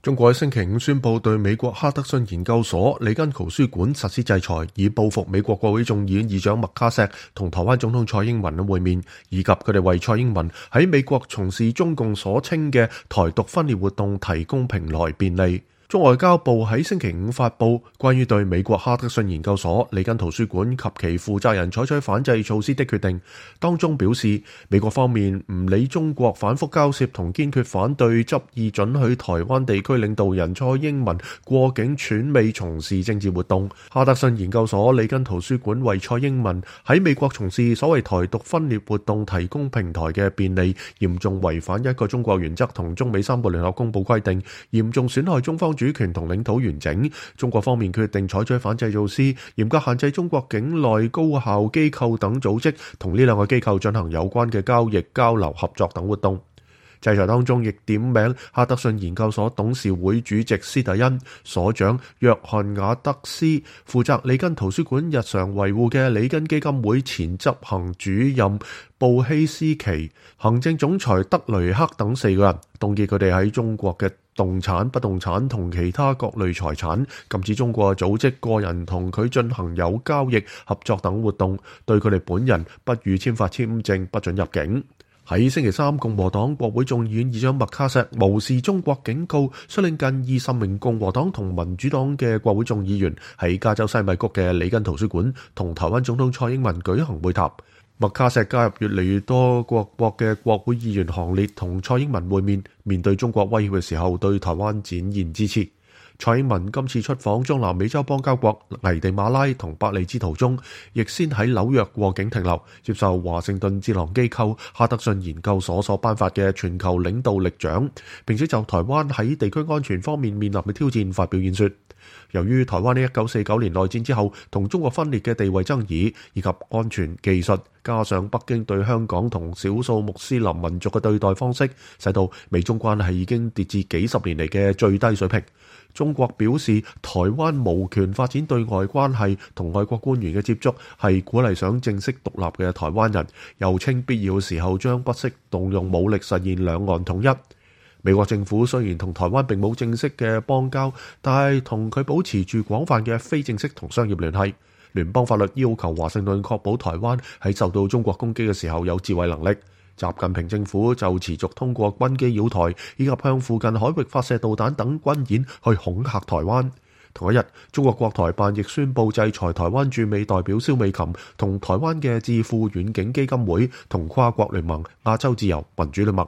中國喺星期五宣布對美國哈德遜研究所里根圖書館實施制裁，以報復美國國會眾議院議長麥卡錫同台灣總統蔡英文嘅會面，以及佢哋為蔡英文喺美國從事中共所稱嘅台獨分裂活動提供平台便利。中外交部喺星期五發布關於對美國哈德遜研究所里根圖書館及其負責人採取反制措施的決定，當中表示，美國方面唔理中國反覆交涉同堅決反對執意准許台灣地區領導人蔡英文過境竄美從事政治活動。哈德遜研究所里根圖書館為蔡英文喺美國從事所謂台獨分裂活動提供平台嘅便利，嚴重違反一個中國原則同中美三個聯合公報規定，嚴重損害中方主權同領土完整。中國方面決定採取反制措施，嚴格限制中國境內高校機構等組織同呢兩個機構進行有關嘅交易、交流、合作等活動。制裁當中亦點名哈德遜研究所董事會主席施特恩、所長約翰瓦德斯、負責里根圖書館日常維護嘅里根基金會前執行主任布希斯奇、行政總裁德雷克等4個人，凍結佢哋喺中國嘅動產、不動產同其他各類財產，禁止中國組織、個人同佢進行有交易、合作等活動，對佢哋本人不予簽發簽證，不准入境。喺星期三，共和黨國會眾議院議長麥卡錫無視中國警告，率領近20名共和黨同民主黨嘅國會眾議員喺加州西米谷嘅里根圖書館同台灣總統蔡英文舉行會談。麥卡錫加入越嚟越多各國嘅國會議員行列，同蔡英文會面，面對中國威脅嘅時候，對台灣展現支持。蔡英文今次出訪中南美洲邦交國危地馬拉同伯利茲途中，亦先喺紐約過境停留，接受華盛頓智囊機構哈德遜研究所頒發嘅全球領導力獎，並且就台灣喺地區安全方面面臨嘅挑戰發表演說。由於台灣喺1949年內戰之後同中國分裂嘅地位爭議，以及安全技術，加上北京對香港同少數穆斯林民族嘅對待方式，使到美中關係已經跌至幾十年嚟嘅最低水平。中國表示，台灣無權發展對外關係，同外國官員嘅接觸係鼓勵想正式獨立嘅台灣人，又稱必要時候將不惜動用武力實現兩岸統一。美國政府雖然同台灣並冇正式嘅邦交，但係同佢保持住廣泛嘅非正式同商業聯繫。聯邦法律要求華盛頓確保台灣喺受到中國攻擊嘅時候有自衛能力。習近平政府就持續通過軍機擾台，以及向附近海域發射導彈等軍演去恐嚇台灣。同一日，中國國台辦亦宣布制裁台灣駐美代表蕭美琴同台灣嘅智庫遠景基金會同跨國聯盟亞洲自由民主聯盟。